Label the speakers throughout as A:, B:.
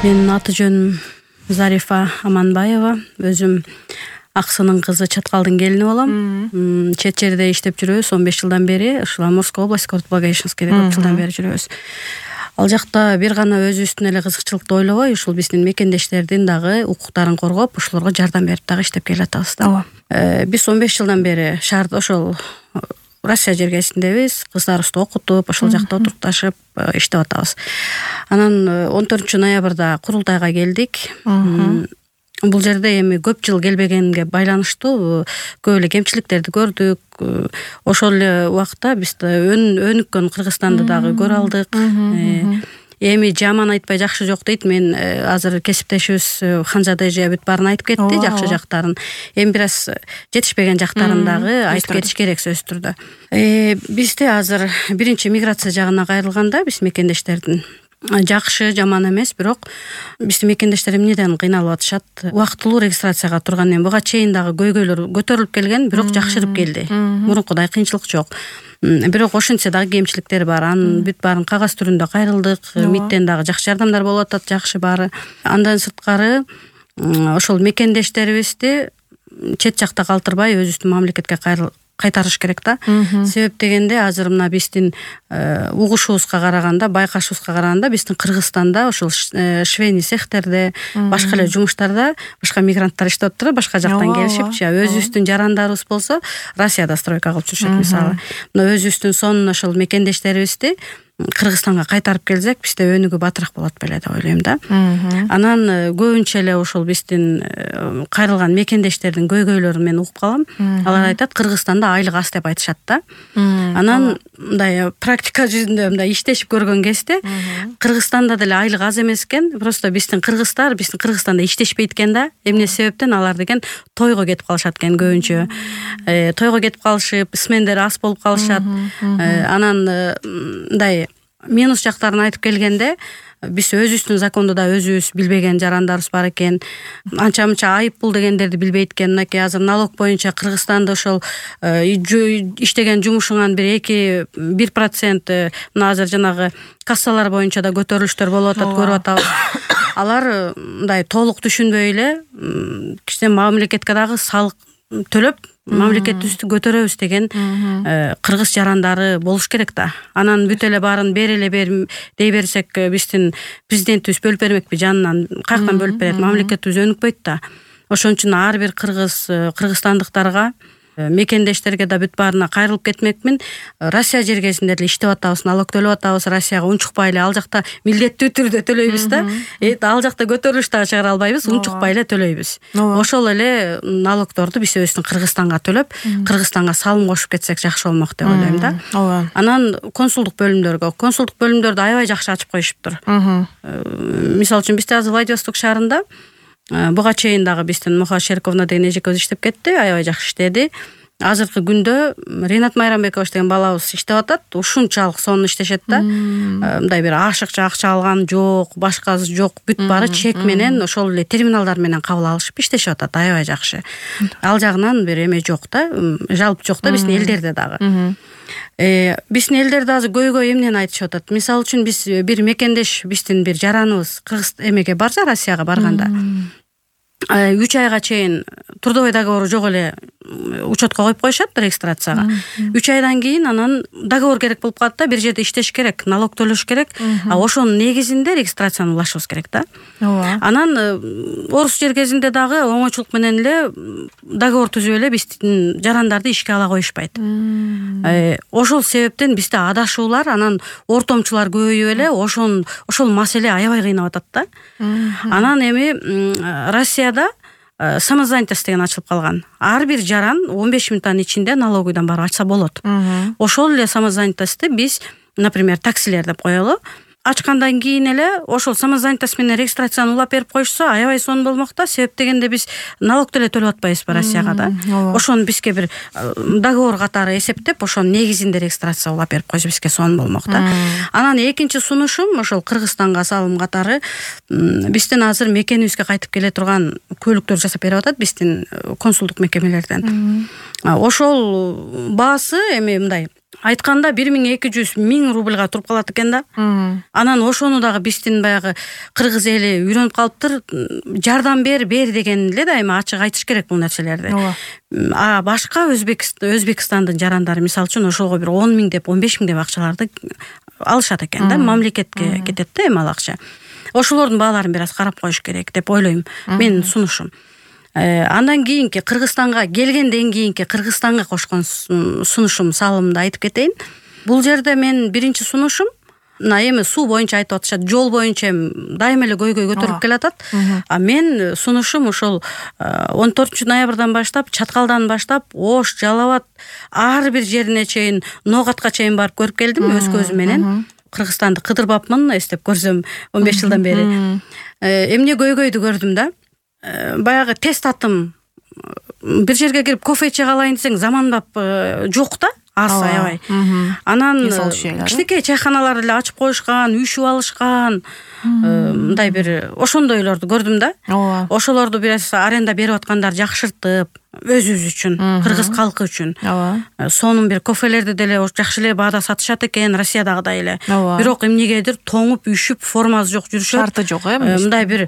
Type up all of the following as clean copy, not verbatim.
A: Менин аты жөнүм Зарифа Аманбаева. Өзүм Аксынын кызы, Чаткалдын келини болом. Чет жерде иштеп жүрөбүз 15 жылдан бери. Ушул Амурская область, Кортблаговещенскийде көп жылдан бери жүрөбүз. Ал жакта бир гана өзүбүздүн эле кызыкчылыкты ойлобой, ушул биздин мекендештердин дагы укуктарын коргоп, ошолорго жардам берип дагы иштеп келатабыз да. Биз 15 жылдан бери шаарда ошол Россия жергесиндебиз. Кыздарыбызды окутуп, ошол жакта отурукташып иштеп атабыз. Анан 14 ноябрда курултайга келдик. Бул жерде эми көп жыл келбегенге байланыштуу көп эле кемчиликтерди көрдүк. Ошол эле убакта биз өнүккөн Кыргызстанды дагы көрө алдык. Эми жаман айтпай жакшы жок дейт. Мен азыр кесиптешибиз Ханжадежи бүт баарын айтып кетти, жакшы жактарын. Эми бир аз жетишпеген жактарын дагы айтып кетиш керек сөзсүз түрдө. Бизде азыр биринчи миграция жагына кайрылганда биз мекендештердин жакшы, жаман эмес, бирок биздин мекендештер эмнеден кыйналып атышат? Убактылуу регистрацияга тургандан буга чейин дагы көйгөйлөр көтөрүлүп келген, бирок жакшырып келди. Мурункудай кыйынчылык жок. Бирок ошентсе дагы кемчиликтер бар. Анын бүт баарын кагаз түрүндө кайрылдык. МИДтен дагы жакшы жардамдар болуп атат, жакшы баары. Андан сырткары ошол мекендештерибизди чет жакта калтырбай өзүбүздүн мамлекетке кайтарыш керек да. Себеп дегенде азыр мына биздин угушубузга караганда, байкашыбызга караганда биздин Кыргызстанда ошол швейный цехтерде, башка эле жумуштарда башка мигранттар иштеп атыптыр, башка жактан келишипчи. Өзүбүздүн жарандарыбыз болсо Россияда стройка кылып жүрүшөт мисалы. Мына өзүбүздүн сонун ошол мекендештерибизди Кыргызстанга кайтарып келсек, бизде өнүгүү батыраак болот беле деп ойлойм да. Анан көбүнчө эле ошол биздин кайрылган мекендештердин көйгөйлөрүн мен угуп калам. Алар айтат, Кыргызстанда айлык аз деп айтышат да. Анан мындай практика жүзүндө мындай иштешип көргөн кезде Кыргызстанда деле айлык аз эмес экен. Просто биздин кыргыздар биздин Кыргызстанда иштешпейт экен да. Эмне себептен алар деген тойго кетип калышат экен көбүнчө. Тойго кетип калышып, смендер аз болуп калышат. Анан мындай минус жактарын айтып келгенде, биз өзүбүздүн законду да өзүбүз билбеген жарандарыбыз бар экен. Анча-мынча айып пул дегендерди билбейт экен. Мынакей азыр налог боюнча Кыргызстанда ошол иштеген жумушуңан бир 1%, мына азыр жанагы кассалар боюнча да көтөрүлүштөр болуп атат, көрүп атабыз. Алар мындай толук түшүнбөй эле кичине мамлекетке дагы салык төлөп, мамлекетибизди көтөрөбүз деген кыргыз жарандары болуш керек да. Анан бүт эле баарын дей берсек, биздин президентибиз бөлүп бермекпи жанынан, каяктан бөлүп берет? Мамлекетибиз өнүкпөйт да. Ошон үчүн ар бир кыргызстандыктарга, мекендештерге да бүт баарына кайрылып кетмекмин. Россия жергесинде эле иштеп атабыз, налог төлөп атабыз, Россияга унчукпай эле, ал жакта милдеттүү түрдө төлөйбүз да. Ал жакта көтөрүлүш дагы чыгара албайбыз, унчукпай эле төлөйбүз. Ошол эле налогдорду биз өзүбүздүн Кыргызстанга төлөп, Кыргызстанга салым кошуп кетсек жакшы болмок деп ойлойм да. Анан консулдук бөлүмдөрдү аябай жакшы ачып коюшуптур. Мисалы үчүн бизде азыр Владивосток шаарында буга чейин дагы биздин Муха Шерковна деген эжекебиз иштеп кетти, аябай жакшы иштеди. Азыркы күндө Ринат Майрамбекович деген балабыз иштеп атат, ушунчалык сонун иштешет да. Мындай бир ашыкча акча алган жок, башкасы жок, бүт баары чек менен, ошол эле терминалдар менен кабыл алышып иштешип атат, аябай жакшы. Ал жагынан бир эме жок да, жалп жок да биздин элдерде дагы. Биздин элдерде азыр көйгөй эмнени айтышып атат? Мисалы үчүн биз бир мекендеш, биздин бир жараныбыз Кыргыз эмеге барса, Россияга барганда 3 айга чейин трудовой договору жок эле учетко коюп коюшат регистрацияга. 3 айдан кийин анан договор керек болуп калат да, бир жерде иштеш керек, налог төлөш керек. Ошонун негизинде регистрацияны улашыбыз керек да. Анан орус жергесинде дагы оңойчулук менен эле договор түзүп эле биздин жарандарды ишке ала коюшпайт. Ошол себептен бизде адашуулар, анан ортомчулар көбөйүп эле ошол маселе аябай кыйнап атат да. Анан эми Россияда самозанятость деген ачылып калган. Ар бир жаран 15 минуттан ичинде налоговыйдан барып ачса болот. Ошол эле самозанятостьти биз, например, таксилер деп коелу. Ачкандан кийин эле ошол самозанятость менен регистрацияны улап берип коюшса, аябай сонун болмок да. Себеп дегенде биз налог деле төлөп атпайбызбы Россияга да. Ошону бизге бир договор катары эсептеп, ошонун негизинде регистрация улап берип койсо бизге сонун болмок да. Анан экинчи сунушум ошол Кыргызстанга салым катары биздин азыр мекенибизге кайтып келе турган көлүктөр жасап берип атат биздин консулдук мекемелерден. Ошол баасы эми мындай айтканда 1200 рубльга туруп калат экен да. Анан ошону дагы биздин баягы кыргыз эли үйрөнүп калыптыр. Жардам бер деген эле дайыма ачык айтыш керек бул нерселерди. А башка Өзбекстандын жарандары мисалы үчүн ошого бир 10 000 деп 15 000 деп акчаларды алышат экен да, мамлекетке кетет да эми ал акча. Ошолордун бааларын бир аз карап коюш керек деп ойлойм. Менин сунушум. Андан кийинки Кыргызстанга келгенден кийинки Кыргызстанга кошкон сунушум салымды айтып кетейин. Бул жерде мен биринчи сунушум эми суу боюнча айтып атышат, жол боюнча дайыма эле көйгөй көтөрүп келатат. А мен сунушум ошол 14 ноябрдан баштап, Чаткалдан баштап, Ош, Жалал Абад ар бир жерине чейин, Ноогатка чейин барып көрүп келдим өз көзүм менен. Кыргызстанды кыдырбапмын, эстеп көрсөм 15 жылдан бери. Эмне көйгөйдү көрдүм да. Баягы тест аттым. Бир жерге кирип кофе иче калайын десең заманбап жок да. Аз аябай. Анан кичинекей чайханаларды эле ачып коюшкан, үйшүп алышкан. Мындай бир ошондойлорду көрдүм да. Ошолорду бир аренда берип аткандар жакшыртып, өзүбүз үчүн, кыргыз калкы үчүн. Сонун бир кофелерди деле жакшы эле баада сатышат экен, Россиядагыдай эле. Бирок эмнегедир тоңуп, үйшүп, формасы жок жүрүшөт.
B: Шарты жок,
A: мындай бир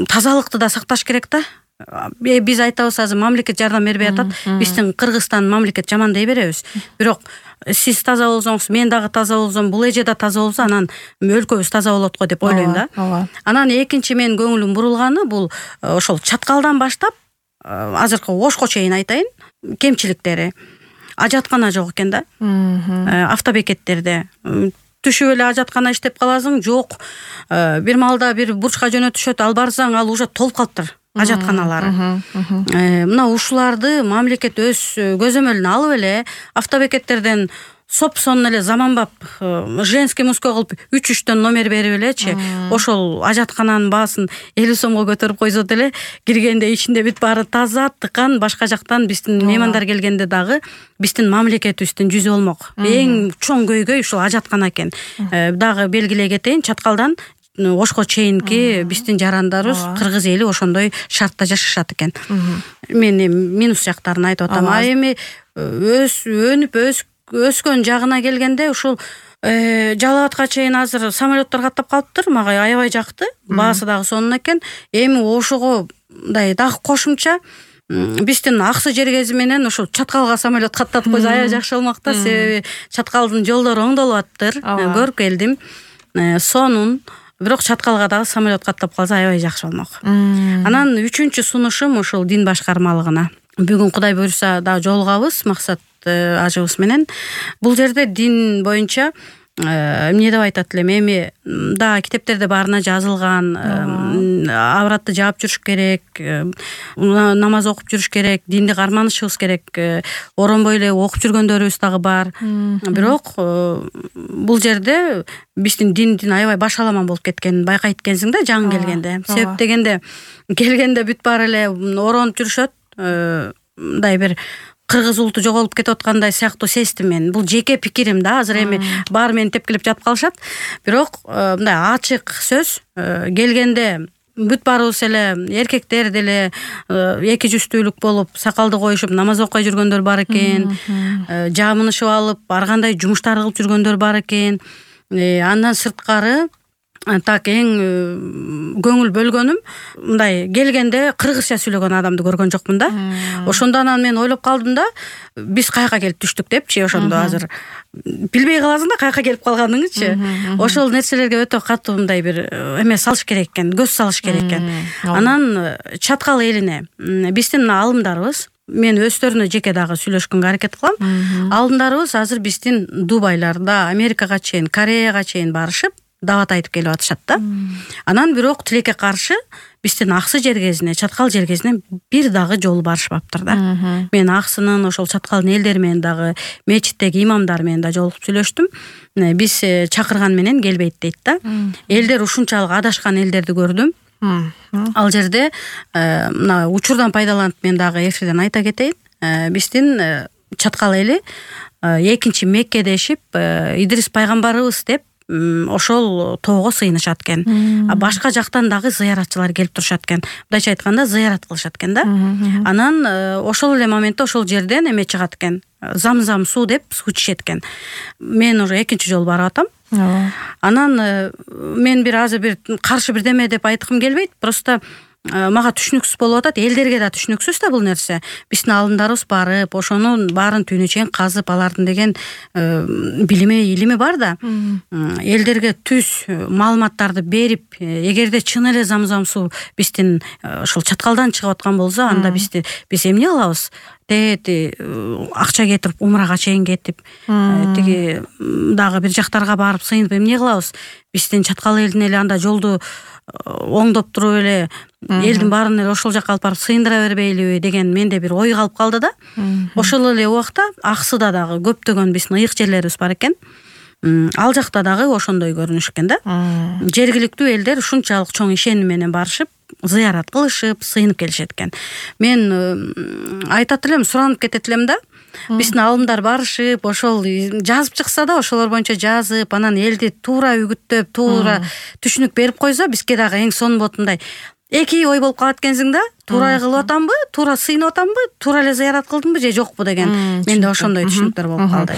A: тазалыкты да сакташ керек да. Биз айтабыз азыр мамлекет жардам бербей атат. Биздин Кыргызстан мамлекет жаман дей беребиз. Бирок сиз таза болсоңуз, мен дагы таза болсом, бул эже да таза болсо, анан өлкөбүз таза болот го деп ойлойм да. Анан экинчи менин көңүлүм бурулганы бул ошол Чаткалдан баштап азыркы Ошко чейин айтайын, кемчиликтери. Ажаткана жок экен да. Автобекеттерде түшүп эле ажаткана иштеп каласың, жок. Бир маалда бир бурчка жөнөтүшөт, ал барсаң, ал уже толуп калыптыр. Ажатканалары. Мына ушуларды мамлекет өз көзөмөлүнө алып эле автобекеттерден сопсон эле заманбап женский мужской кылып 3-3төн номер берип элечи, ошол ажаткананын баасын 50 сомго көтөрүп койсо деле, киргенде ичинде бүт баары таза, тыкан, башка жактан биздин меймандар келгенде дагы биздин мамлекетибиздин жүзү болмок. Эң чоң көйгөй ушул ажаткана экен. Дагы белгилей кетейин, Чаткалдан Ошко чейинки биздин жарандарыбыз кыргыз эли ошондой шартта жашашат экен. Мен минус жактарын айтып атам. А эми өнүп өскөн жагына келгенде ушул Жалал Абадка чейин азыр самолеттор каттап калыптыр. Мага аябай жакты. Баасы дагы сонун экен. Эми ошого мындай дагы кошумча биздин Аксы Жергези менен ошол Чаткалга самолет каттатып койсо аябай жакшы болмок да. Себеби Чаткалдын жолдору оңдолуп аттыр. Көрүп келдим. Сонун. Бирок Чаткалга дагы самолет каттап калса аябай жакшы болмок. Анан үчүнчү сунушум ушул дин башкармалыгына. Бүгүн Кудай буйруса дагы жолугабыз Максат ажыбыз менен. Бул жерде дин боюнча эмне деп айтат элем, эми да китептерде баарына жазылган, абратты жаап жүрүш керек, намаз окуп жүрүш керек, динди карманышыбыз керек, оронбой эле окуп жүргөндөрүбүз дагы бар. Бирок бул жерде биздин диндин аябай башаламан болуп кеткенин байкайт экенсиң да жаңы келгенде. Себеп дегенде келгенде бүт баары эле оронуп жүрүшөт, мындай бир кыргыз улуту жоголуп кетип аткандай сыяктуу сездим мен. Бул жеке пикирим да, азыр эми баары мени тепкилеп жатып калышат. Бирок мындай ачык сөз, келгенде бүт баарыбыз эле эркектер деле эки жүздүүлүк болуп, сакалды коюшуп намаз окуй жүргөндөр бар экен. Жамынышып алып, ар кандай жумуштар кылып жүргөндөр бар экен. Андан сырткары так эң көңүл бөлгөнүм, мындай келгенде кыргызча сүйлөгөн адамды көргөн жокмун да. Ошондон анан мен ойлоп калдым да, биз каяка келип түштүк депчи, ошондо азыр билбей каласың да каяка келип калганыңычы. Ошол нерселерге өтө катуу мындай бир эме салыш керек экен, көз салыш керек экен. Анан Чаткал элине биздин алымдарыбыз, мен өздөрүнө жеке дагы сүйлөшкөнгө аракет кылам. Алымдарыбыз азыр биздин Дубайларда, Америкага чейин, Кореяга чейин барышып дават айтып келип атышат да. Анан бирок тилекке каршы биздин Аксы Жергезине, Чаткал Жергезине бир дагы жолу барышпаптыр да. Мен Аксынын ошол Чаткалдын элдери менен дагы, мечиттеги имамдар менен да жолугуп сүйлөштүм. Биз чакырган менен келбейт дейт да. Элдер ушунчалык адашкан элдерди көрдүм. Ал жерде мына учурдан пайдаланып мен дагы эфирден айта кетейин. Биздин Чаткал эли экинчи Мекке дешип, Идрис пайгамбарыбыз деп ошол тоого сыйынышат экен. Башка жактан дагы зыяратчылар келип турушат экен. Мындайча айтканда зыярат кылышат экен да. Анан ошол эле моментте ошол жерден эме чыгат экен. Замзам суу деп суу ичишет экен. Мен уже экинчи жолу барып атам. Анан мен азыр бир каршы бирдеме деп айткым келбейт. Просто мага түшүнүксүз болуп атат, элдерге да түшүнүксүз да бул нерсе. Биздин алымдарыбыз барып, ошонун баарын түйүнү чейин казып, алардын деген илими бар да. Элдерге түз маалыматтарды берип, эгерде чын эле замзам суу биздин ошол чаткалдан чыгып аткан болсо, анда биз эмне кылабыз? Акча кетирип, умрага чейин кетип, тиги дагы бир жактарга барып сыйынып эмне кылабыз? Биздин чаткал элдин эле анда жолду оңдоп туруп эле элдин баарын эле ошол жакка алып барып сыйындыра бербейлиби деген менде бир ой калып калды да. Ошол эле убакта Аксыда дагы көптөгөн биздин ыйык жерлерибиз бар экен. Ал жакта дагы ошондой көрүнүшкөн да. Жергиликтүү элдер ушунчалык чоң ишеним менен барышып, зыярат кылышып, сыйынып келишет экен. Мен айтат элем, суранып кетет элем да. Биздин алымдар барышып, ошол жазып чыкса да, ошолор боюнча жазып, анан элди туура үгүттөп, туура түшүнүк берип койсо, бизге дагы эң сонун болот мындай. Эки ой болуп калат экенсиң да. Туура кылып атамбы, туура сыйынып атамбы, туура эле зыярат кылдымбы же жокпу деген. Менде ошондой түшүнүктөр болуп калды.